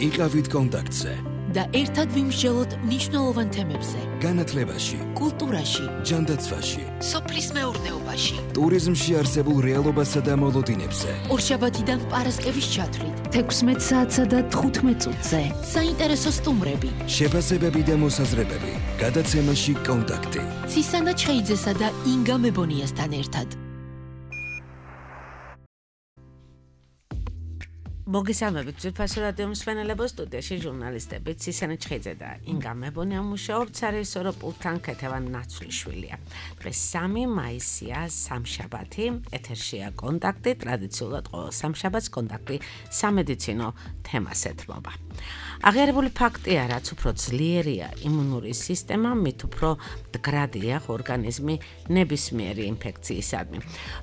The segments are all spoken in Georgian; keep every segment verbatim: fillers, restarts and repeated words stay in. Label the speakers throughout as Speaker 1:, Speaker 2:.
Speaker 1: იყავით კონტაქტზე
Speaker 2: და ერთად ვიმსჯელოთ მნიშვნელოვან თემებზე.
Speaker 1: განათლებაში,
Speaker 2: კულტურაში,
Speaker 1: ჯანდაცვაში,
Speaker 2: სოფლის მეურნეობაში,
Speaker 1: ტურიზმში არსებულ რეალობასა და მოლოდინებზე.
Speaker 2: ორშაბათიდან პარასკევის ჩათვლით,
Speaker 3: თექვსმეტ საათსა და თხუთმეტ წუთზე.
Speaker 2: საინტერესო სტუმრები,
Speaker 1: შეფასებები და მოსაზრებები. გადაცემაში კონტაქტი.
Speaker 2: ცისანა ჩხეიძესა და ინგა მებონიასთან ერთად.
Speaker 4: მოგესალმებით ძვირფასო რადიო მსმენელებო, სტუდიაში ჟურნალისტები ცისანა ჩხეიძე და ინგა მებონია მუშაობთ, სარეჟისორო პულტთან ქეთევან ნაცვლიშვილია. დღეს სამი მაისია, სამშაბათი, ეთერშია კონტაქტი, ტრადიციულად ყოველ სამშაბათს კონტაქტი სამედიცინო თემას ეთმობა. აღიარებული ფაქტია, რაც უფრო ძლიერია იმუნური სისტემა, მით უფრო მდგრადია ორგანიზმი ნებისმიერი ინფექციისადმი.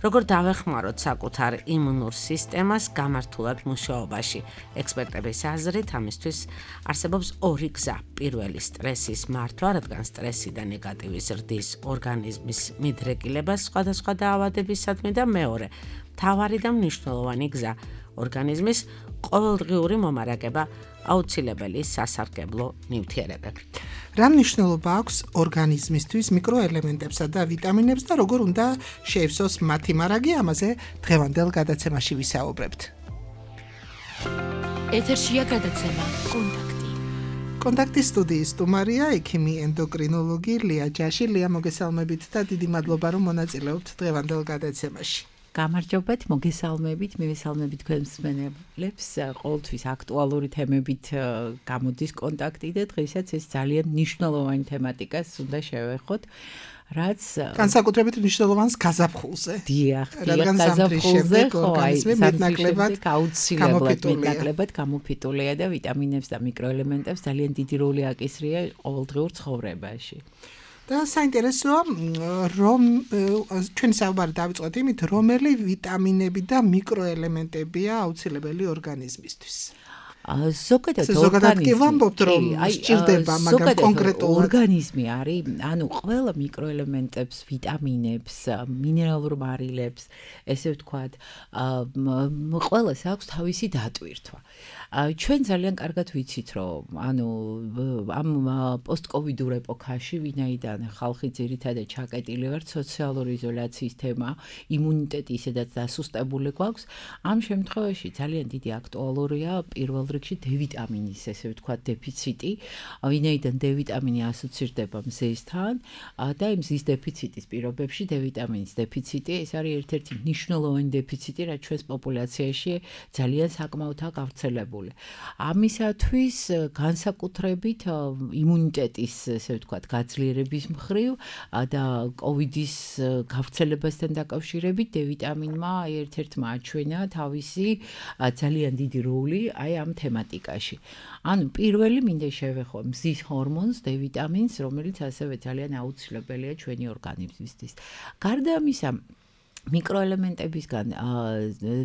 Speaker 4: როგორ დავეხმაროთ საკუთარ იმუნურ სისტემას გამართულად მუშაობაში? ექსპერტების აზრით, ამისთვის არსებობს ორი გზა. პირველი სტრესის მართვა, რადგან სტრესი და ნეგატივის ზრდის ორგანიზმის მიდრეკილებას სხვადასხვა დაავადებისადმი და მეორე, მთავარი და მნიშვნელოვანი გზა, ორგანიზმის ყოველდღიური მომარაგება აუცილებელი სასარგებლო ნივთიერებები.
Speaker 5: რა მნიშვნელობა აქვს ორგანიზმისთვის მიკროელემენტებსა და ვიტამინებს და როგორ უნდა შეივსოს მათი მარაგი, ამაზე დღევანდელ გადაცემაში ვისაუბრებთ.
Speaker 2: ეთერშია გადაცემა კონტაქტი.
Speaker 5: კონტაქტის სტუდიის სტუმარია ექიმი ენდოკრინოლოგი ლია ჯაში. ლია, მოგესალმებით და დიდი მადლობა, რომ მონაწილეობთ დღევანდელ გადაცემაში.
Speaker 6: გამარჯობათ, მოგესალმებით, მივესალმებით თქვენ მსმენელებს. ყოველთვის აქტუალური თემებით გამოდის კონტაქტი და დღესაც ეს ძალიან მნიშვნელოვანი თემატიკას უნდა შევეხოთ, რაც
Speaker 5: განსაკუთრებით მნიშვნელოვანს გაზაფხულზე.
Speaker 6: დიახ,
Speaker 5: რადგან
Speaker 6: გაზაფხულზე
Speaker 5: ორგანიზმი მეტნაკლებად
Speaker 6: აუცილებლად მეტნაკლებად გამოფიტულია და ვიტამინებს და მიკროელემენტებს ძალიან დიდი როლი აკისრია ყოველდღიურ ცხოვრებაში.
Speaker 5: და საინტერესოა, რომ ჩვენი საუბარი დავიწყოთ იმით, რომელი ვიტამინები და მიკროელემენტებია აუცილებელი ორგანიზმისთვის.
Speaker 6: ზოგადად
Speaker 5: ორგანიზმი ვამბობთ, რომ სჭირდება, მაგრამ კონკრეტულად
Speaker 6: ორგანიზმი არის, ანუ ყველა მიკროელემენტებს, ვიტამინებს, მინერალურ მარილებს, ესე ვთქვათ, ყველას აქვს თავისი დატვირთვა. ჩვენ ძალიან კარგად ვიცით, რომ ანუ ამ პოსტკოვიდურ ეპოქაში, ვინაიდან ხალხი ძირითადად ჩაკეტილი ვართ სოციალური იზოლაციის თემა, იმუნიტეტი ისედაც დასუსტებული გვაქვს, ამ შემთხვევაში ძალიან დიდი აქტუალურია პირველ რიგში D ვიტამინის, ესე ვთქვათ, დეფიციტი, ვინაიდან D ვიტამინი ასოცირდება მზესთან და იმ მზის დეფიციტის პირობებში D ვიტამინის დეფიციტი, ეს არის ერთ-ერთი მნიშვნელოვანი დეფიციტი, რაც ჩვენს პოპულაციაში ძალიან საკმაოდაა გავრცელებული. ამისათვის განსაკუთრებით იმუნიტეტის, ესე ვთქვათ, გაძლიერების მხრივ და კოვიდის გავრცელებასთან დაკავშირებით D ვიტამინმა ერთ-ერთმა აჩვენა თავისი ძალიან დიდი როლი აი ამ თემატიკაში. ანუ პირველი მინდა შევეხო მზის ჰორმონს D ვიტამინს, რომელიც ასევე ძალიან აუცილებელია ჩვენი ორგანიზმისთვის. გარდა ამისა, მიკროელემენტებისგან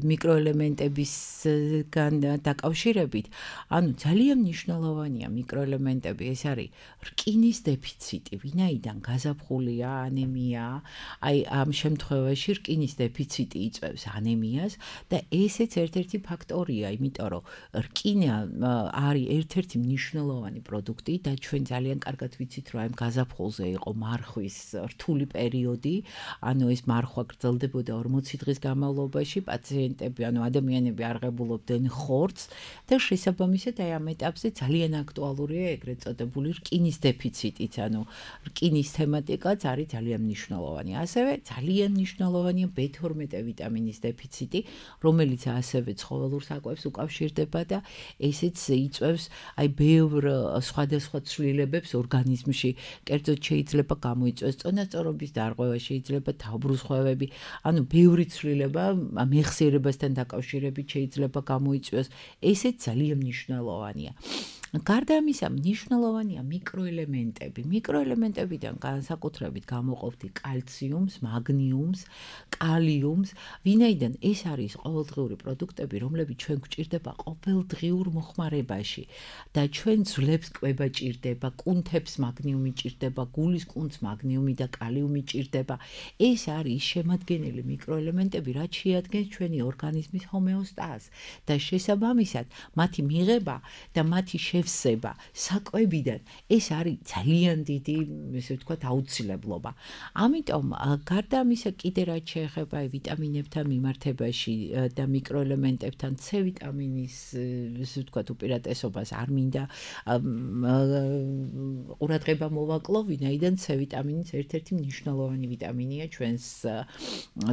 Speaker 6: მიკროელემენტებისგან დაკავშირებით, ანუ ძალიან მნიშვნელოვანია მიკროელემენტები, ეს არის რკინის დეფიციტი, ვინაიდან გაზაფხულია, ანემია, აი ამ შემთხვევაში რკინის დეფიციტი იწვევს ანემიას და ესეც ერთ-ერთი ფაქტორია, იმიტომ რომ რკინა არის ერთ-ერთი მნიშვნელოვანი პროდუქტი და ჩვენ ძალიან კარგად ვიცით, რომ აი გაზაფხულზე იყო მარხვის რთული პერიოდი, ანუ ეს მარხვა გრძელდება ორმოცი დღის განმავლობაში, პაციენტები, ანუ ადამიანები არღებულობდნენ ხორცს და შესაბამისად აი ამ ეტაპზე ძალიან აქტუალურია ეგრეთ წოდებული რკინის დეფიციტიც, ანუ რკინის თემატიკაც არის ძალიან მნიშვნელოვანი. ასევე ძალიან მნიშვნელოვანია B თორმეტე ვიტამინის დეფიციტი, რომელიც ასევე ცხოველურ საკვებს უკავშირდება და ესეც იწვევს აი ბევრ სხვადასხვა ცვლილებებს ორგანიზმში. კერძოდ შეიძლება გამოიწვევს წონასწორობის დარღვევა, შეიძლება თავბრუსხვევები, ანუ ბევრი ცვლილება მეხსიერებასთან დაკავშირებით შეიძლება გამოიწვიოს, ესეც ძალიან მნიშვნელოვანია. გარდა ამისა, მნიშვნელოვანია მიკროელემენტები. მიკროელემენტებიდან განსაკუთრებით გამოყოფთ კალციუმს, მაგნიუმს, კალიუმს, ვინაიდან ეს არის ყოველდღიური პროდუქტები, რომლებიც ჩვენ გვჭირდება ყოველდღიურ მოხმარებაში და ჩვენ ძვლებს კვება ჭირდება, კუნთებს მაგნიუმი ჭირდება, გულის კუნთს მაგნიუმი და კალიუმი ჭირდება. ეს არის შემადგენელი მიკროელემენტები, რაც შეადგენს ჩვენი ორგანიზმის ჰომეოსტაზს და შესაბამისად, მათი მიღება და მათი შევსება საკვებიდან ეს არის ძალიან დიდი, ესე ვთქვათ, აუცილებლობა. ამიტომ გარდა ამისა, კიდე რაც შეეხება ვიტამინებთან მიმართებაში და მიკროელემენტებთან C ვიტამინის, ესე ვთქვათ, უპირატესობას არ მინდა ყურადღება მოვაკლო, ვინაიდან C ვიტამინიც ერთ-ერთი მნიშვნელოვანი ვიტამინია ჩვენს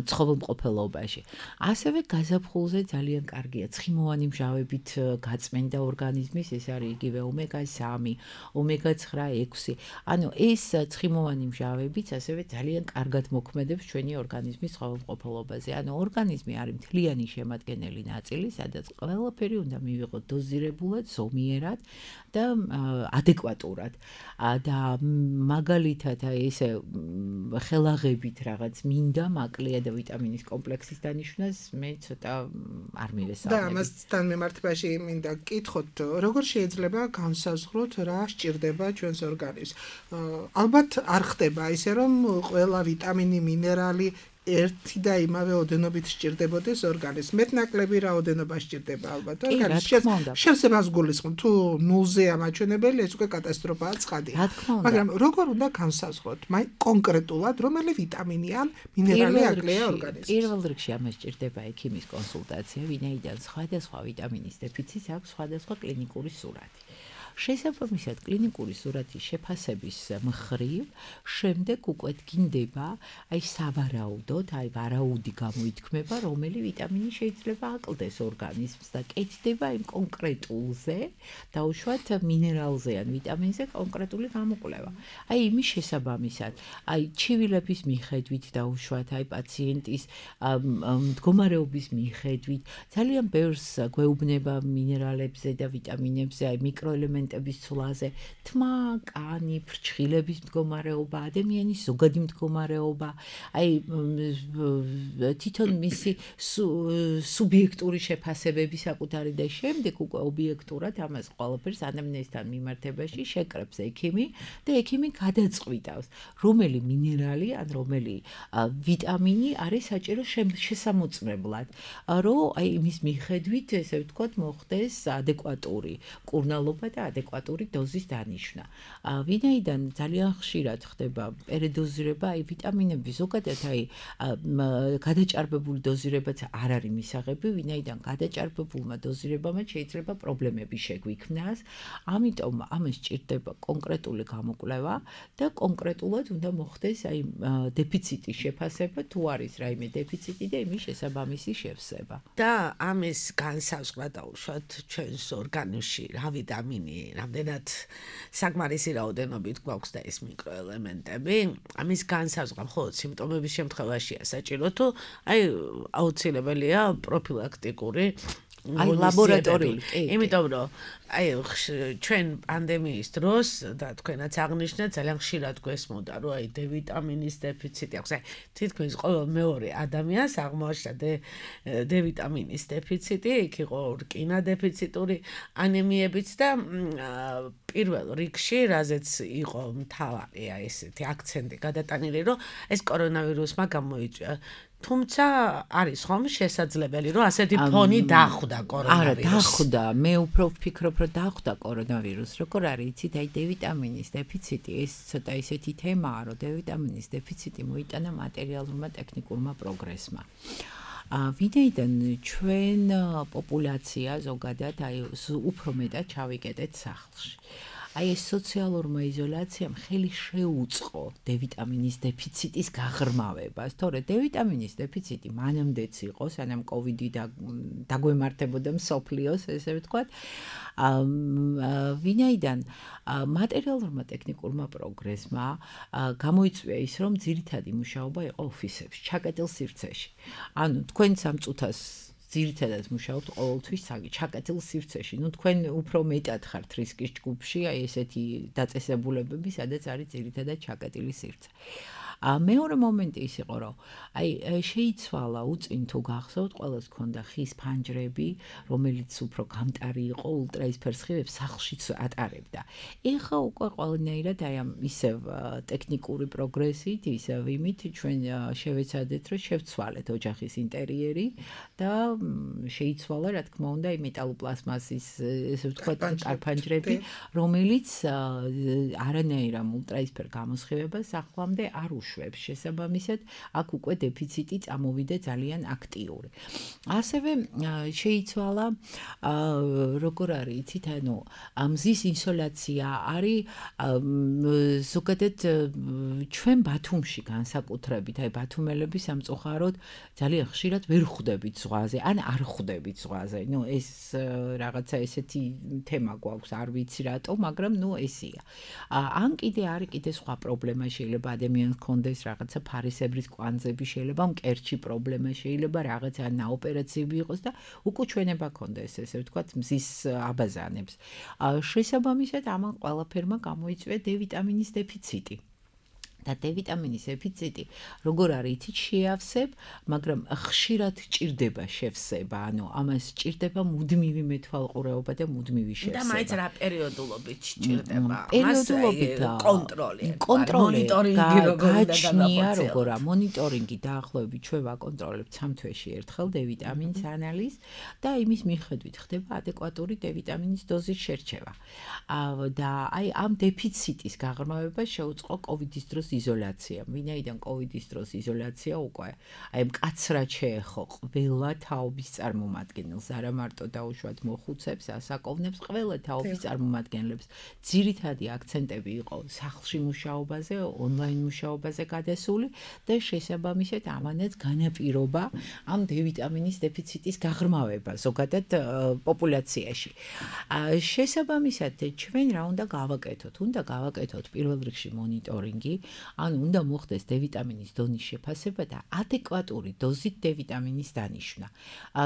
Speaker 6: ცხოველმყოფელობაში. ასევე გაზაფხულზე ძალიან კარგია ცხიმოვანი მჟავებით გაწმენდა ორგანიზმის, ეს არის იგივე ომეგა სამი, ომეგა ცხრა, ექვსი. ანუ ეს ცხიმოვანი მჟავებიც ასევე ძალიან კარგად მოქმედებს ჩვენი ორგანიზმის ცხოველმყოფელობაზე. ანუ ორგანიზმი არის მთლიანი შემადგენელი ნაწილი, სადაც ყველაფერი უნდა მივიღოთ დოზირებულად, ზომიერად და ადეკვატურად. და მაგალითად ესე ხელაღებით რაღაც მინდა მაკლია და ვიტამინის კომპლექსის დანიშვნას მე ცოტა არ მივესალმები.
Speaker 5: და ამასთან მიმართებაში მინდა გკითხოთ, როგორ შეიძლება განსაზღვროთ რა სჭირდება ჩვენს ორგანიზმს. ალბათ არ ხდება ისე რომ ყველა ვიტამინი, მინერალი ერთი და იმავე ოდენობით სჭირდებოდეს ორგანიზმს. მეტნაკლები რაოდენობა სჭირდება ალბათ ორგანიზმს. შევსებას გულისხმობ, თუ ნულზეა მაჩვენებელი, ეს უკვე კატასტროფაა ცხადია. მაგრამ როგორ უნდა განსაზღვროთ, მაი კონკრეტულად რომელი ვიტამინი ან მინერალი აკლია ორგანიზმს?
Speaker 6: პირველ რიგში ამას სჭირდება ექიმის კონსულტაცია, ვინაიდან სხვადასხვა ვიტამინის დეფიციტს აქვს სხვადასხვა კლინიკური სურათი. შესაბამისად კლინიკური სურათის შეფასების მხრივ შემდეგ უკვე დგინდება აი სავარაუდოდ, აი ვარაუდი გამოითქმება, რომელი ვიტამინი შეიძლება აკლდეს ორგანიზმს და კეთდება იმ კონკრეტულზე, დაუშვათ მინერალზე ან ვიტამინზე კონკრეტული გამოკვლევა. აი იმის შესაბამისად, აი ჩივილების მიხედვით დაუშვათ, აი პაციენტის მდგომარეობის მიხედვით, ძალიან ბევრს გვეუბნება მინერალებზე და ვიტამინებზე, აი მიკროელემენტ ცვლაზე, თმა, კანი, ფრჩხილების მდგომარეობა, ადამიანის ზოგადი მდგომარეობა, აი თვითონ მისი სუბიექტური შეფასებები საკუთარი და შემდეგ უკვე ობიექტურად ამას ყველაფერს ანამნეზთან მიმართებაში შეკრებს ექიმი და ექიმი გადაწყვიტავს, რომელი მინერალი ან რომელი ვიტამინი არის საჭირო შესამოწმებლად, რომ აი იმის მიხედვით, ესე ვთქვათ, მოხდეს ადეკვატური მკურნალობა და ადეკვატური დოზის დანიშვნა. ვინაიდან ძალიან ხშირად ხდება პერედოზირება, აი ვიტამინები ზოგადად აი გადაჭარბებული დოზირებაც არ არის მისაღები, ვინაიდან გადაჭარბებულმა დოზირებამ შეიძლება პრობლემები შეგვიქმნას. ამიტომ ამას სჭირდება კონკრეტული გამოკვლევა და კონკრეტულად უნდა მოხდეს აი დეფიციტის შეფასება, თუ არის რაიმე დეფიციტი და იმის შესაბამისი შევსება.
Speaker 4: და ამის განსაზღვრა დაუშვათ ჩვენს ორგანიზმში რა ვიტამინი რამდენად საკმარისი რაოდენობით გვაქვს და ეს მიკროელემენტები, ამის განსაზღვრა მხოლოდ სიმპტომების შემთხვევაშია საჭირო, თუ აი აუცილებელია პროფილაქტიკური
Speaker 6: აი ლაბორატორიული,
Speaker 4: იმიტომ რომ აი ჩვენ პანდემიის დროს და თქვენაც აღნიშნეთ, ძალიან ხშირად გვესმოდა, რომ აი D ვიტამინის დეფიციტი აქვს. აი თითქმის ყოველ მეორე ადამიანს აღმოაჩნდა D ვიტამინის დეფიციტი, იქ იყო რკინა დეფიციტური ანემიებიც და პირველ რიგში, რაზეც იყო მთავარი აი ესეთი აქცენტი გადატანილი, რომ ეს კორონავირუსმა გამოიწვია. თუმცა არის ხომ შესაძლებელი, რომ ასეთი ფონი დახვდა კორონავირუსს.
Speaker 6: არა, დახვდა. მე უფრო ვფიქრობ, რომ დახვდა კორონავირუსს. როგორ არის, იცით, აი D ვიტამინის დეფიციტი, ეს ცოტა ისეთი თემაა, რომ D ვიტამინის დეფიციტი მოიტანა მატერიალურმა ტექნიკურმა პროგრესმა. ვინაიდან ჩვენ პოპულაცია ზოგადად აი უფრო მეტად ჩავიკეტეთ სახლში. აი ეს სოციალურმა იზოლაციამ ხელი შეუწყო D ვიტამინის დეფიციტის გაღრმავებას. თორე D ვიტამინის დეფიციტი მანამდეც იყო, სანამ კოვიდი დაგვემართებოდა მსოფლიოს, ესე ვთქვათ. ვინაიდან მატერიალურმა ტექნიკურმა პროგრესმა გამოიწვია ის, რომ ძირითადი მუშაობა იყო ოფისებში, ჩაკეტილ სივრცეში. ანუ თქვენ სამ წუთას ძირითადად მუშაობთ ყოველთვის ჩაკეტილ სივრცეში. ნუ თქვენ უფრო მეტად ხართ რისკის ჯგუფში, აი ესეთი დაწესებულებები, სადაც არის ძირითადად ჩაკეტილი სივრცე. მეორე მომენტი ის იყო, რომ აი შეიცვალა უწინ თუ გახსოვთ, ყველას ქონდა ხის ფანჯრები, რომელიც უფრო გამტარი იყო, ულტრაისფერ სხივებს სახლშიც ატარებდა. ეხლა უკვე ყველანაირად აი ამ ისევ ტექნიკური პროგრესით, ისევ იმით ჩვენ შევეცადეთ, რომ შევცვალეთ ოჯახის ინტერიერი და შეიცვალა, რა თქმა უნდა, აი მეტალოპლასმასის, ესე ვთქვათ, კარფანჯრები, რომელიც არანაირ ამ ულტრაისფერ გამოსხივებას ახლამდე არ უშვებს. შესაბამისად, აქ უკვე დეფიციტი წამოვიდა ძალიან აქტიური. ასევე შეიცვალა როგორ არის, იცით, ანუ მზის ინსოლაცია არის ზოგადად ჩვენ ბათუმში განსაკუთრებით, აი ბათუმელები სამწუხაროდ ძალიან ხშირად ვერ ხვდებით ზღვაზე, ან არ ხვდებით ზღვაზე. ნუ ეს რაღაცა ესეთი თემა გვაქვს, არ ვიცი რატო, მაგრამ ნუ ესია. ან კიდე არის კიდე სხვა პრობლემა, შეიძლება ადამიანს კონდეს რაღაცა ფარისებრის კვანძები, შეიძლება მკერჩი პრობლემა, შეიძლება რაღაცა ნაოპერაციები იყოს და უკუჩვენება კონდეს, ესე ვთქვათ, მზის აბაზანებს. შესაბამისად, ამან ყველაფერმა გამოიწვია დე ვიტამინის დეფიციტი. და დე ვიტამინის დეფიციტი როგორ არის, იცით, შეავსებ, მაგრამ ხშირად ჭირდება შევსება, ანუ ამას ჭირდება მუდმივი მეთვალყურეობა და მუდმივი შევსება.
Speaker 4: და მაინც რა პერიოდულობით ჭირდება?
Speaker 6: პერიოდულობით
Speaker 4: კონტროლი,
Speaker 6: მონიტორინგი როგორ უნდა გაჩნია, როგორ მონიტორინგი დაახლოებით ჩვენ ვაკონტროლებთ სამ თვეში ერთხელ დე ვიტამინის ანალიზს და იმის მიხედვით ხდება ადეკვატური დე ვიტამინის დოზის შერჩევა. და აი ამ დეფიციტის გაღრმავება შეუწყო კოვიდის დროს იზოლაცია. ვინაიდან კოვიდის დროს იზოლაცია უკვე აი მკაცრად შეეხო ყველა თაობის წარმომადგენელს, არა მარტო დაუშვათ მოხუცებს, ასაკოვნებს, ყველა თაობის წარმომადგენლებს. ძირითადი აქცენტები იყო სახლში მუშაობაზე, ონლაინ მუშაობაზე გადასული და შესაბამისად ამანაც განაპირობა ამ დე ვიტამინის დეფიციტის გაღრმავება ზოგადად პოპულაციაში. შესაბამისად ჩვენ რა უნდა გავაკეთოთ? უნდა გავაკეთოთ პირველ რიგში მონიტორინგი, ანუ უნდა მოხდეს დე ვიტამინის დონის შეფასება და ადეკვატური დოზით დე ვიტამინის დანიშვნა.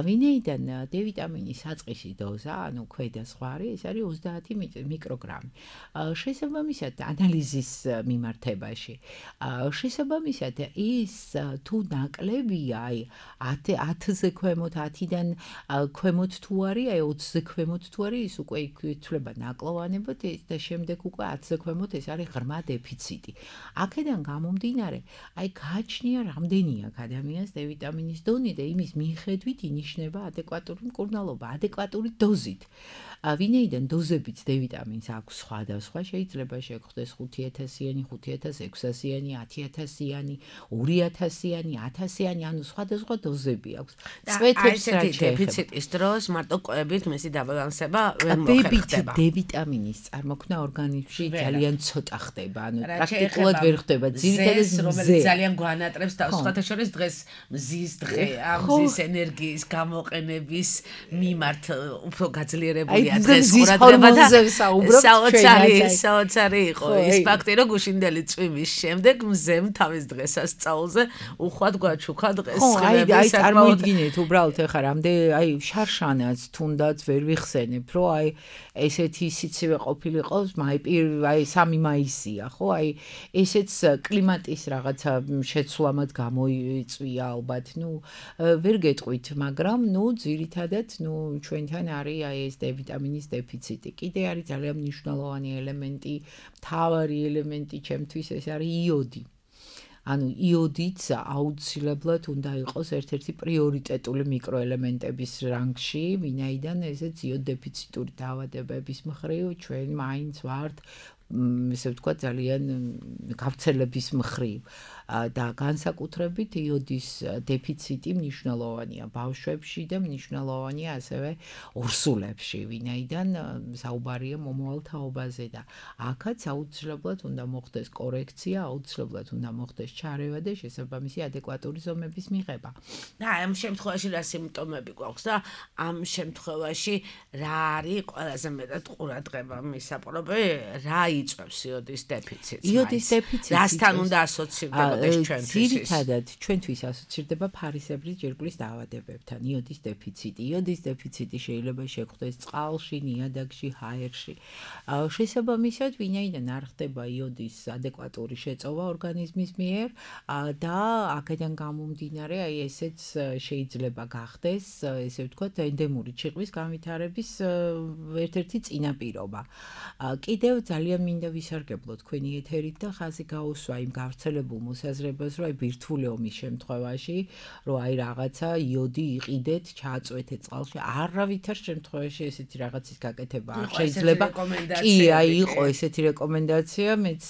Speaker 6: ვინაიდან დე ვიტამინის საწყისი დოზა, ანუ ქვედა ზღვარი, ეს არის ოცდაათი მიკროგრამი. შესაბამისად, ანალიზის მიმართებაში, შესაბამისად, ის თუ ნაკლებია, აი ათზე ქვემოთ, ათიდან ქვემოთ თუ არის, აი ოცზე ქვემოთ თუ არის, ის უკვე ითვლება ნაკლოვანებად და შემდეგ უკვე ათზე ქვემოთ ეს არის ღრმა დეფიციტი. აქედან გამომდინარე, აი გააჩნია რამდენი აქვს ადამიანს დე ვიტამინის დონე და იმის მიხედვით ინიშნება ადეკვატური მკურნალობა, ადეკვატური დოზით. ვინაიდან დოზებით დე ვიტამინს აქვს სხვადასხვა, შეიძლება შეგხვდეს ხუთი ათასიანი, ხუთი ათას ექვსასიანი, ათი ათასიანი, ორი ათასიანი, ათასიანი, ანუ სხვადასხვა დოზები აქვს.
Speaker 4: წვეთებს რა დეფიციტის დროს მარტო კვებით მისი დაბალანსება ვერ მოხერხდება.
Speaker 6: დე ვიტამინის წარმოქმნა ორგანიზმში ძალიან ცოტა ხდება, ანუ პრაქტიკულად ვერ ხდება. ძირითადად
Speaker 4: რომელიც ძალიან გვანატრებს და სხვათა შორის დღეს მზის დღეა, მზის ენერგიის გამოყენების მიმართ უფრო გაძლიერებულია დღეს ყურადღება და საოცარი საოცარი იყო ის ფაქტი, რომ გუშინდელი წვიმის შემდეგ მზემ თავის დღესასწაულზე უხვად გვაჩუქა დღეს
Speaker 6: ხმები. აი წარმოიდგინეთ უბრალოდ ეხლა რამდენი აი შარშანაც თუნდაც ვერ ვიხსენებ, რომ აი ესეთი სიცივე ყოფილიყო, აი სამი მაისია, ხო? აი ესეც კლიმატის რაღაცა შეცვლამად გამოიწვია ალბათ, ნუ ვერ გეტყვით, მაგრამ ნუ ძირითადად ნუ ჩვენთან არის აი ეს დე ვიტამინის დეფიციტი. კიდე არის ძალიან მნიშვნელოვანი ელემენტი, მთავარი ელემენტი ჩემთვის ეს არის იოდი. ანუ იოდიც აუცილებლად უნდა იყოს ერთ-ერთი პრიორიტეტული მიკროელემენტების რანგში, ვინაიდან ესეც იოდ დეფიციტური დაავადებების მხრივ ჩვენ მაინც ვართ ესე ვთქვათ ძალიან გავრცელების მხრივ და განსაკუთრებით იოდის დეფიციტი მნიშვნელოვანია ბავშვებში და მნიშვნელოვანია ასევე ორსულებში, ვინაიდან საუბარია მომავალ თაობაზე და აქაც აუცილებლად უნდა მოხდეს კორექცია, აუცილებლად უნდა მოხდეს ჩარევა და შესაბამისი ადეკვატური ზომების მიღება.
Speaker 4: და ამ შემთხვევაში რა სიმპტომები გვაქვს და ამ შემთხვევაში რა არის ყველაზე მეტად ყურადღება მისაპყრობი, რა იწვევს იოდის დეფიციტს?
Speaker 6: იოდის დეფიციტი
Speaker 4: რასთან უნდა ასოცირდებოდეს ჩვენთვის?
Speaker 6: ძირითადად ჩვენთვის ასოცირდება ფარისებრი ჯირკვლის დაავადებებთან. იოდის დეფიციტი. იოდის დეფიციტი შეიძლება შეგვხვდეს წყალში, ნიადაგში, ჰაერში. შესაბამისად, ვინაიდან არ ხდება იოდის ადეკვატური შეწოვა ორგანიზმის მიერ და აქედან გამომდინარე, აი ესეც შეიძლება გახდეს, ესე ვთქვათ, ენდემური ჩიყვის განვითარების ერთ-ერთი წინაპირობა. კიდევ ძალიან მინდა ვისარგებლო თქვენი ეთერით და ხაზი გაუსვა იმ გავრცელებულ მოსაზრებას, რომ აი ბირთვული ომის შემთხვევაში, რომ აი რაღაცა იოდი იყიდეთ, ჩააწვეთეთ წყალში, არავითარ შემთხვევაში ესეთი რაღაცის გაკეთება არ შეიძლება. კი, აი იყო ესეთი რეკომენდაცია, მეც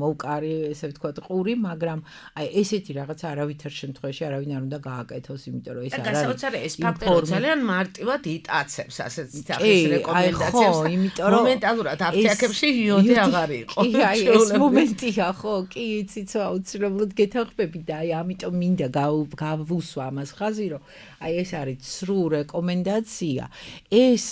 Speaker 6: მოვკარი, ესე ვთქვათ, ყური, მაგრამ აი ესეთი რაღაცა არავითარ შემთხვევაში არავინ არ უნდა გააკეთოს, იმიტომ რომ ეს არ არის.
Speaker 4: გასაოცარი ეს ფაქტორი ძალიან მარტივად იტაცებს ასეთ სახის რეკომენდაციებს.
Speaker 6: ხო, იმიტომ რომ
Speaker 4: მომენტალურად აფთიაქებში იოდი აღარ იყო.
Speaker 6: კი, აი ეს მომენტია, ხო, კი, იცით, აუცილებლად გეთანხმები და აი ამიტომ მინდა გავუსვა ამას ხაზი, რომ აი ეს არის ცრუ რეკომენდაცია. ეს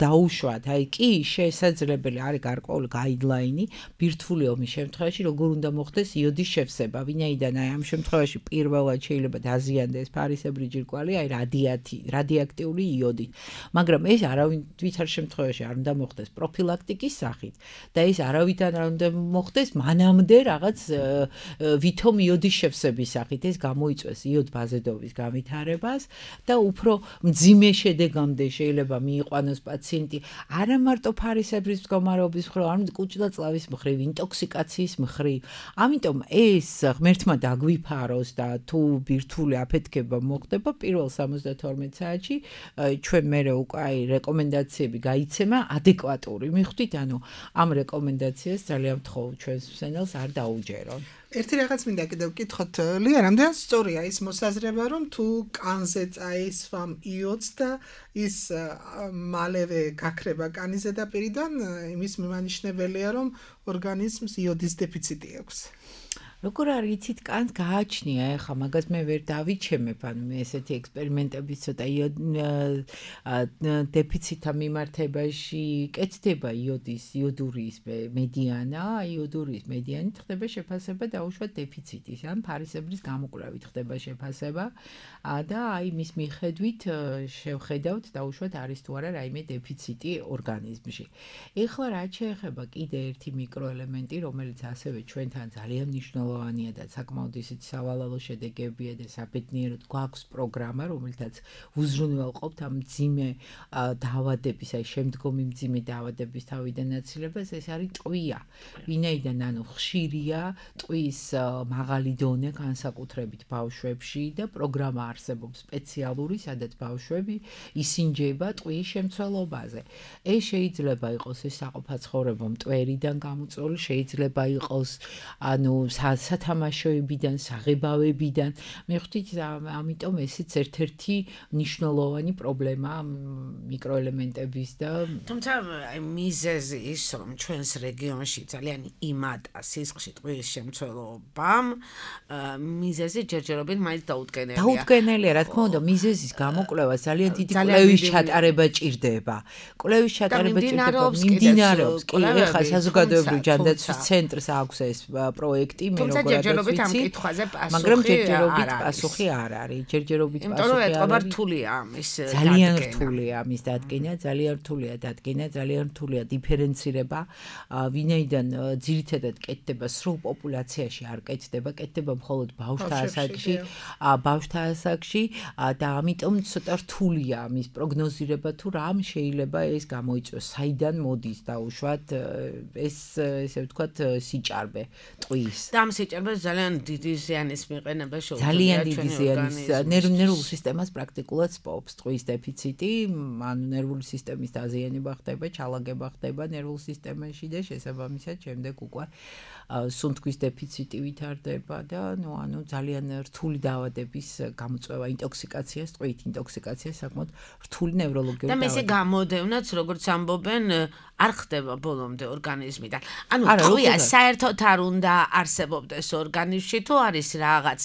Speaker 6: დაუშვათ, აი კი, შესაძლებელი არის გარკვეული გაიდლაინი ბირთვული ომის შემთხვევაში, როგორ უნდა მოხდეს იოდის შევსება. ვინაიდან აი ამ შემთხვევაში პირველად შეიძლება დაზიანდეს ფარისებრი ჯირკვალი, აი რადიათი, რადიოაქტიური იოდით. მაგრამ ეს არავინ ვითარ შემთხვევაში არ უნდა მოხდეს პროფილაქტიკის სახით და ეს არავითარ არ უნდა მოხდეს მანამდე რაღაც ვითომ იოდის შევსების სახით. ეს გამოიწვევს იოდ ბაზედოვის განვითარებას და უფრო მძიმე შედეგამდე შეიძლება მიიყვანოს პაციენტი არა მარტო ფარისებრის მდგომარეობის მხრივ, არამედ კუჭდაწლავის მხრივ, ინტოქსიკაციის მხრივ. ამიტომ ეს ღმერთმა დაგვიფაროს და თუ ბირთვული აფეთქება მოხდება პირველ სამოცდათორმეტ საათში, ჩვენ მერე უკვე აი რეკომენდაციები გაიცემა ადეკვატური. მიხვდით, ანუ ამ რეკომენდაციას ძალიან ვთხოვ ჩვენს მსმენელს არ დაუჯერონ.
Speaker 5: ერთი რაღაც მინდა კიდევ ვკითხოთ, ლია, რამდენად სწორია ის მოსაზრება, რომ თუ კანზე წაისვამ იოდს და ის მალევე გაქრება კანის ზედაპირიდან, იმის მიმანიშნებელია, რომ ორგანიზმს იოდის დეფიციტი აქვს.
Speaker 6: როგორ არ იცით, კანს გააჩნია, ეხლა მაგას მე ვერ დავიჩემებ, ანუ მე ესეთი ექსპერიმენტები ცოტა დეფიციტთან მიმართებაში კეთდება იოდის, იოდურის მედიანა, იოდურის მედიანით ხდება შეფასება დაუშვათ დეფიციტის, ან ფარისებრის გამოკვლევით ხდება შეფასება და აი მის მიხედვით შევხედავთ დაუშვათ არის თუ არა რაიმე დეფიციტი ორგანიზმში. ეხლა რაც შეეხება კიდე ერთი მიკროელემენტი, რომელიც ასევე ჩვენთან ძალიან მნიშვნელოვანია და საკმაოდ ისეთი სავალალო შედეგებია და საბედნიეროდ გვაქვს პროგრამა, რომელთაც უზრუნველყოფთ ამ მძიმე დაავადების, აი შემდგომი მძიმე დაავადების თავიდან აცილებას, ეს არის ტყვია. ვინაიდან ანუ ხშირია ტყვის მაღალი დონე განსაკუთრებით ბავშვებში და პროგრამა არსებობს სპეციალური, სადაც ბავშვები ისინჯება ტყვის შემცველობაზე. ეს შეიძლება იყოს ეს საყოფაცხოვრებო მტვერიდან გამოწვეული, შეიძლება იყოს ანუ სათამაშოებიდან, საღებავებიდან. მიხვდით, ამიტომ ესეც ერთ-ერთი მნიშვნელოვანი პრობლემა მიკროელემენტების და
Speaker 4: თუმცა აი მიზეზი ის, რომ ჩვენს რეგიონში ძალიან იმატა სისხლში ტყვის შემცველობამ, მიზეზი ჯერჯერობით მაინც დაუდგენელია.
Speaker 6: დაუდგენელია, რა თქმა უნდა, მიზეზის გამოკვლევა ძალიან დიდი კვლევის ჩატარება ჭირდება. კვლევის ჩატარება ჭირდება, მიმდინარეობს. კი, ეხლა საზოგადოებრივი ჯანდაცვის ცენტრს აქვს ეს პროექტი, მე
Speaker 4: თუმცა ჯერჯერობით ამ კითხვაზე პასუხი
Speaker 6: მაგრამ ჯერჯერობით პასუხი არ არის. ჯერჯერობით პასუხი არ არის.
Speaker 4: იმიტომ რომ რთულია ამის
Speaker 6: ძალიან რთულია ამის დადგენა, ძალიან რთულია დადგენა, ძალიან რთულია დიფერენცირება, ვინაიდან ძირითადად კეთდება სრულ პოპულაციაში არ კეთდება, კეთდება მხოლოდ ბავშვთა ასაკში, ბავშვთა ასაკში და ამიტომ ცოტა რთულია ამის პროგნოზირება, თუ რამ შეიძლება ეს გამოიწვიოს, საიდან მოდის დაუშვათ ეს ესე ვთქვათ სიჭარბე ტყვის.
Speaker 4: და ამ სიჭარბეს ძალიან დიდი ზიანის მიყენება შეუძლია
Speaker 6: ძალიან დიდი ზიანის ნერვულ სისტემას პრაქტიკულად სპობს ტყვის დეფიციტი, ანუ ნერვული სისტემის დაზიანება ხდება, ჩალაგება ხდება ნერვულ სისტემაში და შესაბამისად შემდეგ უკვე სუნთქვის დეფიციტი ვითარდება და ნუ ანუ ძალიან რთული დაავადების გამოწვევა ინტოქსიკაციას ტყვით, ინტოქსიკაცია საკმაოდ რთული ნევროლოგიური
Speaker 4: და მესე გამოდევნაც როგორც ამბობენ არ ხდება ბოლომდე ორგანიზმიდან. ანუ ტყვია საერთოდ არ უნდა არსებობდეს ორგანიზმში, თუ არის რაღაც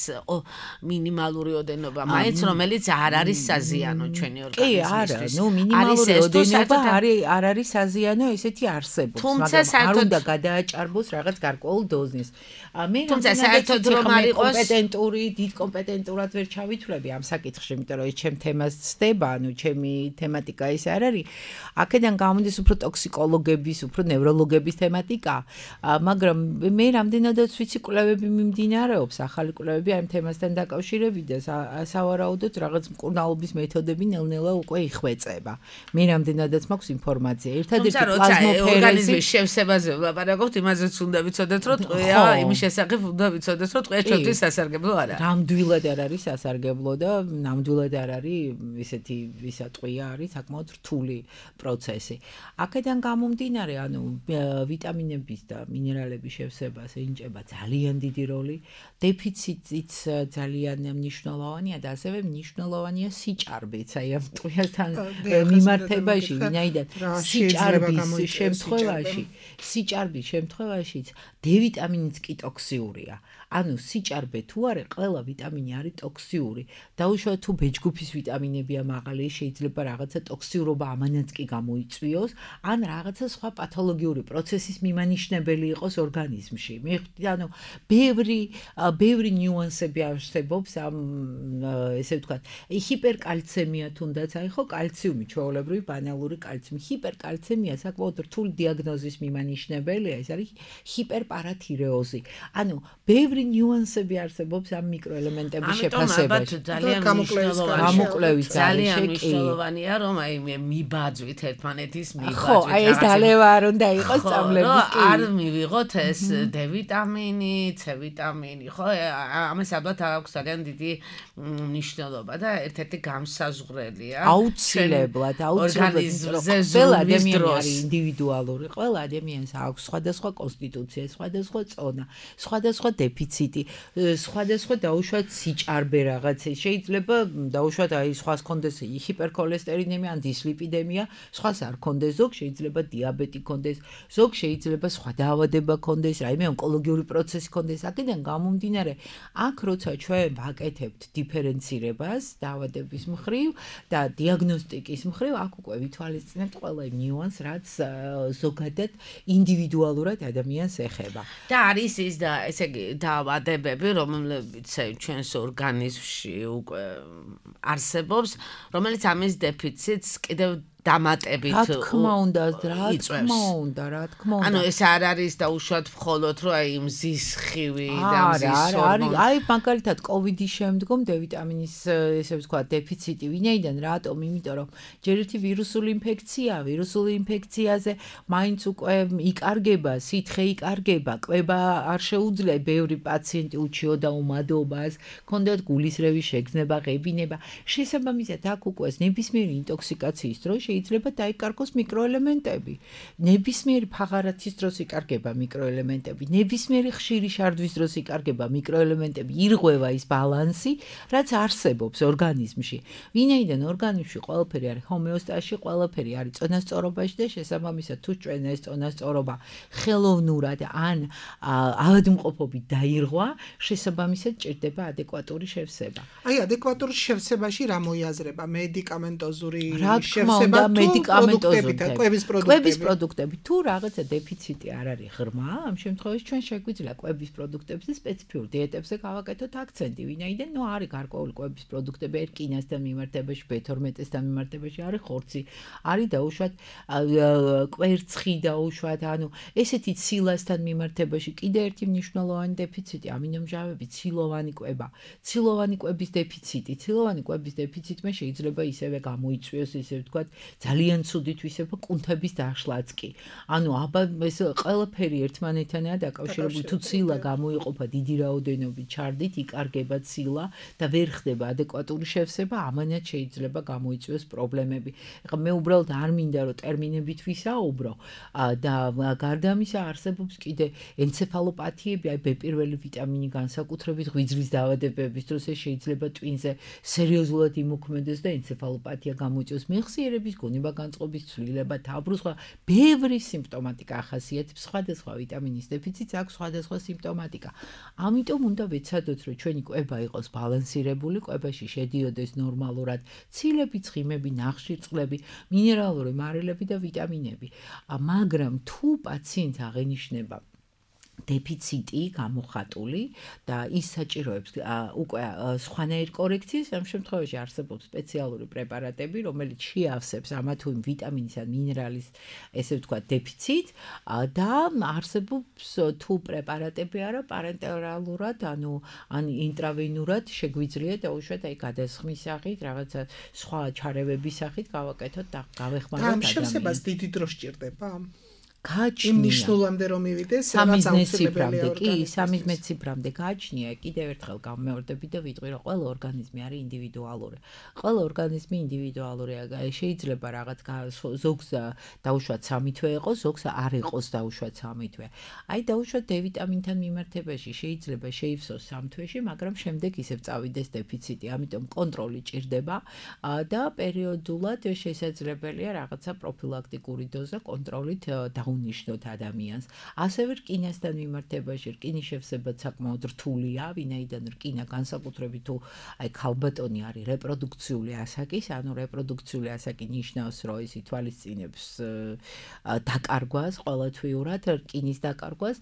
Speaker 4: მინიმალური ოდენობა, მაინც რომელიც არ არის საზიანო ჩვენი ორგანიზმისთვის.
Speaker 6: კი, არა, ნუ მინიმალური ოდენობა არის არ არის საზიანო, ესეთი არსებობს, მაგრამ არ უნდა გადააჭარბოს რაღაც გარკვეულ დოზის. მე
Speaker 4: თუმცა საერთოდ რომ არ იყოს
Speaker 6: კომპეტენტური, დიდ კომპეტენტურად ვერ ჩავითვლები ამ საკითხში, იმიტომ რომ ეს ჩემ თემას ცდება, ანუ ჩემი თემატიკა ის არ არის. აქედან გამოდის უფრო ტოქსიკოლოგების, უფრო ნევროლოგების თემატიკა, მაგრამ მე რამდენადაც ვიცი კვლევები მიმდინარეობს, ახალი კვლევები ამ თემასთან დაკავშირებით და სავარაუდოდ რაღაც მკურნალობის მეთოდები ნელ-ნელა უკვე იხვეწება. მე რამდენადაც მაქვს ინფორმაცია. ერთადერთი პლაზმოფერეზი
Speaker 4: ორგანიზმის შევსებაზე ვლაპარაკობთ, იმაზეც უნდა ვიცოდეთ, რომ ტყვია იმის შესახებ უნდა ვიცოდეთ, რომ ტყვია ჩვენთვის სასარგებლო არ არის.
Speaker 6: ნამდვილად არ არის სასარგებლო და ნამდვილად არ არის ისეთი ვისა ტყვია არის საკმაოდ რთული პროცესი. აქედან გამომდინარე, ანუ ვიტამინების და მინერალების შევსებას ენიჭება ძალიან დიდი როლი, დეფიციტიც ძალიან მნიშვნელოვანია და ასევე მნიშვნელოვანია სიჭარბეც, აი ამ ტყვიასთან მიმართებაში, ვინაიდან სიჭარბის შემთხვევაში, სიჭარბის შემთხვევაშიც D ვიტამინიც კი ტოქსიურია. ანუ სიჭარბე თუ არის, ყველა ვიტამინი არის ტოქსიური. დაუშვათ თუ B ჯგუფის ვიტამინებია მაღალი, შეიძლება რაღაცა ტოქსიურობა ამანაც კი გამოიწვიოს, ან რაღაცა სხვა პათოლოგიური პროცესის მიმანიშნებელი იყოს ორგანიზმში. მე ხვდით, ანუ ბევრი ბევრი ნიუანსები არსებობს ამ ესე ვთქვათ, ჰიპერკალცემია თუნდაც, აი ხო, კალციუმი, ჩვეულებრივი ბანალური კალციუმი, ჰიპერკალცემია საკმაოდ რთული დიაგნოზის მიმანიშნებელია, ეს არის ჰიპერპარათირეოზი. ანუ ბევრი ნიუანსები არსებობს ამ მიკროელემენტების შეფასებაში.
Speaker 4: ძალიან
Speaker 6: გამოკვლევის
Speaker 4: ძალიან მნიშვნელოვანია, რომ აი მე მიბაძვით ერთმანეთის მიბაძვით.
Speaker 6: ხო, აი ეს დალევა არ უნდა იყოს წამლების კი.
Speaker 4: არ მივიღოთ ეს D ვიტამინი, C ვიტამინი, ხო? ამას ალბათ აქვს ძალიან დიდი მნიშვნელობა და ერთ-ერთი გამსაზღვრელია.
Speaker 6: აუცილებლად, აუცილებლად. ყველა ადამიანი არის ინდივიდუალური, ყველა ადამიანს აქვს სხვადასხვა კონსტიტუცია, სხვადასხვა წონა, სხვადასხვა დეფიციტი, სხვადასხვა დაუშვათ სიჭარბე რაღაცე. შეიძლება დაუშვათ აი სხვას კონდეს ჰიპერქოლესტერინემია ან დისლიპიდემია, სხვას არ კონდეს, ზოგ შეიძლება დიაბეტი კონდეს, ზოგ შეიძლება სხვა დაავადება კონდეს, რაიმე ონკოლოგიური პროცესი კონდეს. აქედან გამომდინარე, აქ როცა ჩვენ ვაკეთებთ დიფერენცირებას დაავადების მხრივ და დიაგნოსტიკის მხრივ, აქ უკვე ვითვალისწინებთ ყველა იმ ნიუანსს, რაც ზოგადად ინდივიდუალურად ადამიანს ეხება.
Speaker 4: და არის ის და ესე იგი დაავადებები, რომლებიც ჩვენს ორგანიზმში უკვე არსებობს, რომელიც ამის დეფიციტს კიდევ დამატებით
Speaker 6: რა თქმა უნდა, რა თქმა უნდა, რა თქმა უნდა.
Speaker 4: ანუ ეს არ არის დაუშვათ მხოლოდ რომ აი მზის ხივი და მზის
Speaker 6: ჰორმონი. აი მაგალითად კოვიდის შემდგომ D ვიტამინის ესე ვთქვა დეფიციტი ვინაიდან რატომ? იმიტომ რომ ჯერ ერთი ვირუსული ინფექცია, ვირუსული ინფექციაზე მაინც უკვე იკარგება, სითხე იკარგება, კვება არ შეუძლია, ბევრი პაციენტი უჩიოდა უმადობას, ჰქონდათ გულისრევის შეგრძნება, ღებინება. შესაბამისად აქ უკვე ნებისმიერი ინტოქსიკაციის დროს შეიძლება დაიკარგოს მიკროელემენტები. ნებისმიერი ფაღარათის დროს იკარგება მიკროელემენტები, ნებისმიერი ხშირი შარდვის დროს იკარგება მიკროელემენტები, ირღვევა ის ბალანსი, რაც არსებობს ორგანიზმში. ვინაიდან ორგანიზმში ყველაფერი არის ჰომეოსტაზში, ყველაფერი არის წონასწორობაში და შესაბამისად თუ ჩვენ ეს წონასწორობა ხელოვნურად ან ავადმყოფობით დაირღვა, შესაბამისად ჭირდება ადეკვატური შევსება.
Speaker 5: აი ადეკვატურ შევსებაში რა მოიაზრება? მედიკამენტოზური
Speaker 6: შევსება და მედიკამენტოზური
Speaker 5: კვების პროდუქტები.
Speaker 6: კვების პროდუქტები. თუ რაღაცა დეფიციტი არ არის ღრმა, ამ შემთხვევაში ჩვენ შეგვიძლია კვების პროდუქტებზე სპეციფიურ დიეტებზე გავაკეთოთ აქცენტი, ვინაიდან ნუ არის გარკვეული კვების პროდუქტები ერკინასთან მიმართებაში, B თორმეტესთან მიმართებაში, არის ხორცი, არის დაუშვათ კვერცხი დაუშვათ, ანუ ესეთი ცილასთან მიმართებაში კიდე ერთი მნიშვნელოვანი დეფიციტი, ამინომჟავები, ცილოვანი კვება. ცილოვანი კვების დეფიციტი, ცილოვანი კვების დეფიციტმა შეიძლება ისევე გამოიწვიოს, ისე ვთქვათ, ძალიან ცუდით ვისება კუნთების დაშლაც კი. ანუ აბა ეს ყველაფერი ერთმანეთთანაა დაკავშირებული. თუ ცილა გამოიყოფა დიდი რაოდენობით ჩარდით, იკარგება ცილა და ვერ ხდება ადეკვატური შევსება, ამანაც შეიძლება გამოიწვიოს პრობლემები. ეხლა მე უბრალოდ არ მინდა რომ ტერმინებით ვისაუბრო და გარდა ამისა არსებობს კიდე ენცეფალოპათიები, აი B პირველი ვიტამინი განსაკუთრებით ღვიძლის დაავადებების დროს ეს შეიძლება ტვინზე სერიოზულად იმოქმედოს და ენცეფალოპათია გამოიწვიოს. მეხსიერების გონება-განწყობის ცვლილება, თავბრუსხვა, ბევრი სიმპტომატიკა ახასიათებს სხვადასხვა ვიტამინის დეფიციტს აქვს სხვადასხვა სიმპტომატიკა. ამიტომ უნდა ვეცადოთ, რომ ჩვენი კვება იყოს ბალანსირებული, კვებაში შედიოდეს ნორმალურად ცილები, ცხიმები, ნახშირწყლები, მინერალური მარილები და ვიტამინები. მაგრამ თუ პაციენტს აღენიშნება დეფიციტი გამოხატული და ის საჭიროებს უკვე სხვანაირ კორექციის, ამ შემთხვევაში არსებობს სპეციალური პრეპარატები, რომელიც შეავსებს ამა თუ იმ ვიტამინის ან მინერალის, ესე ვთქვათ, დეფიციტს და არსებობს თუ პრეპარატები არა პარენტერალურად, ანუ ან ინტრავენურად შეგვიძლია დაუშვათ აი გადასხმის სახით, რაღაცა სხვა ჩარევების სახით გავაკეთოთ და გავეხმაროთ
Speaker 5: ამ
Speaker 6: ადამიანს.
Speaker 5: შემსებას დიდი დრო სჭირდება?
Speaker 6: გააჩნია.
Speaker 5: იმ ნიშნულამდე რომ მივიდეს,
Speaker 6: სამის მეციფრამდე კი, სამის მეციფრამდე გააჩნია. კიდევ ერთხელ გამმეორდები და ვიტყვი, რომ ყველა ორგანიზმი არის ინდივიდუალური. ყველა ორგანიზმი ინდივიდუალურია. შეიძლება რაღაც ზოგს დაუშვათ სამი თვე იყოს, ზოგს არ იყოს დაუშვათ სამი თვე. აი დაუშვათ D ვიტამინთან მიმართებაში შეიძლება შეივსოს სამ თვეში, მაგრამ შემდეგ ისევ წავიდეს დეფიციტი. ამიტომ კონტროლი ჭირდება და პერიოდულად შესაძლებელია რაღაცა პროფილაქტიკური დოზა კონტროლით დაუნიშნოთ ადამიანს. ასევე რკინასთან მიმართებაში რკინის შევსება საკმაოდ რთულია, ვინაიდან რკინა განსაკუთრებით თუ აი ქალბატონი არის რეპროდუქციული ასაკის, ანუ რეპროდუქციული ასაკი ნიშნავს, რომ ის ითვალისწინებს დაკარგვას, ყოველთვიურად რკინის დაკარგვას,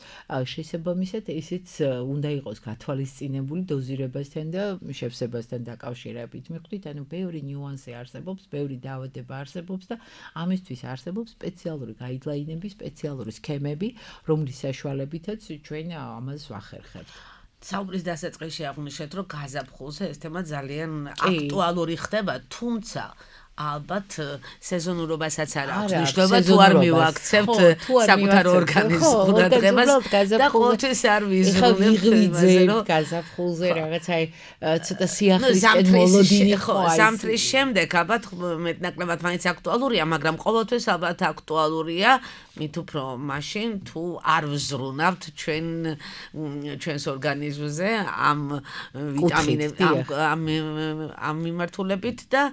Speaker 6: შესაბამისად ისიც უნდა იყოს გათვალისწინებული დოზირებასთან და შევსებასთან დაკავშირებით. მიხვდით, ანუ ბევრი ნიუანსი არსებობს, ბევრი დაავადება არსებობს და ამისთვის არსებობს სპეციალური გაიდლაინები, სპეციალური სქემები, რომლის საშუალებითაც ჩვენ ამას ვახერხებთ.
Speaker 4: საუბრის დასაწყისში აღვნიშნეთ, რომ გაზაფხულზე ეს თემა ძალიან აქტუალური ხდება, თუმცა ალბათ სეზონურობასაც არ აქვს მნიშვნელობა, თუ არ მივაქცევთ საკუთარ ორგანიზმს ყურადღებას და ყოველთვის არ ვიზრუნებთ
Speaker 6: გაზაფხულზე რაღაც აი ცოტა სიახლისკენ მოლოდინი ხო არის.
Speaker 4: ზამთრის შემდეგ ალბათ მეტნაკლებად მაინც აქტუალურია, მაგრამ ყოველთვის ალბათ აქტუალურია მით უფრო მაშინ თუ არ ვზრუნავთ ჩვენ ჩვენს ორგანიზმზე ამ ვიტამინებს ამ ამ მიმართულებით და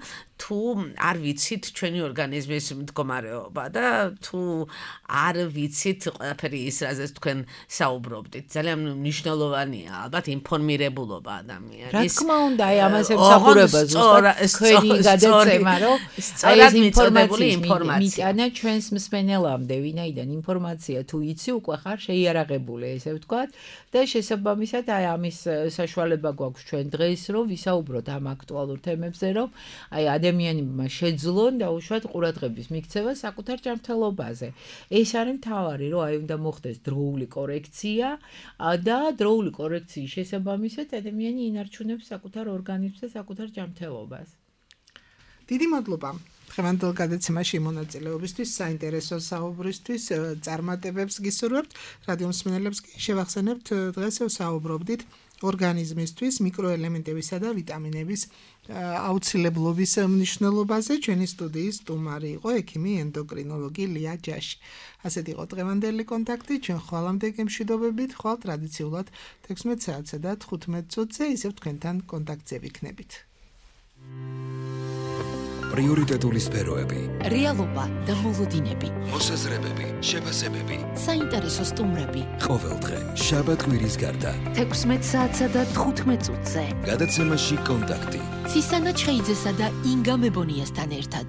Speaker 4: თუ არ ვიცით ჩვენი ორგანიზმის მდგომარეობა და თუ არ ვიცით ყველაფერი ის რაზეც თქვენ საუბრობდით. ძალიან მნიშვნელოვანია ალბათ ინფორმირებულობა ადამიანის.
Speaker 6: რა თქმა უნდა, აი ამას ემსახურება ზუსტად თქვენი გადაცემა, რომ აი ეს ინფორმაცია მიტანა ჩვენს მსმენელამდე, ვინაიდან ინფორმაცია თუ იცი უკვე ხარ შეიარაღებული, ესე ვთქვათ, და შესაბამისად აი ამის საშუალება გვაქვს ჩვენ დღეს, რომ ვისაუბროთ ამ აქტუალურ თემებზე, რომ აი ადამიანებმა შეძლონ დაუშვათ ყურადღების მიქცევა საკუთარ ჯანმრთელობაზე. ეს არის მთავარი, რომ აი უნდა მოხდეს დროული კორექცია და დროული კორექციის შესაბამისად ადამიანი ინარჩუნებს საკუთარ ორგანიზმს და საკუთარ ჯანმრთელობას.
Speaker 5: დიდი მადლობა დღევანდელ გადაცემაში მონაწილეობისთვის, საინტერესო საუბრისთვის, წარმატებებს გისურვებთ. რადიო მსმენელებს კი შევახსენებთ, დღეს საუბრობდით ორგანიზმისთვის მიკროელემენტებისა და ვიტამინების აუცილებლობის მნიშვნელობაზე. ჩვენი სტუდიის სტუმარი იყო ექიმი ენდოკრინოლოგი ლია ჯაში. ასეთ იყო დღევანდელი კონტაქტი. ჩვენ ხვალამდე გემშვიდობებით, ხვალ ტრადიციულად თექვსმეტ საათსა და თხუთმეტ წუთზე ისევ თქვენთან კონტაქტზე ვიქნებით.
Speaker 1: პრიორიტეტული სფეროები,
Speaker 2: რეალობა და მოლოდინები,
Speaker 1: მოსაზრებები, შეფასებები,
Speaker 2: საინტერესო სტუმრები.
Speaker 1: ყოველდღე შაბათ-კვირის გარდა
Speaker 3: თექვსმეტ საათსა და თხუთმეტ წუთზე.
Speaker 1: გადაცემაში კონტაქტი.
Speaker 2: ცისანა ჩხეიძესა და ინგა მებონიასთან ერთად.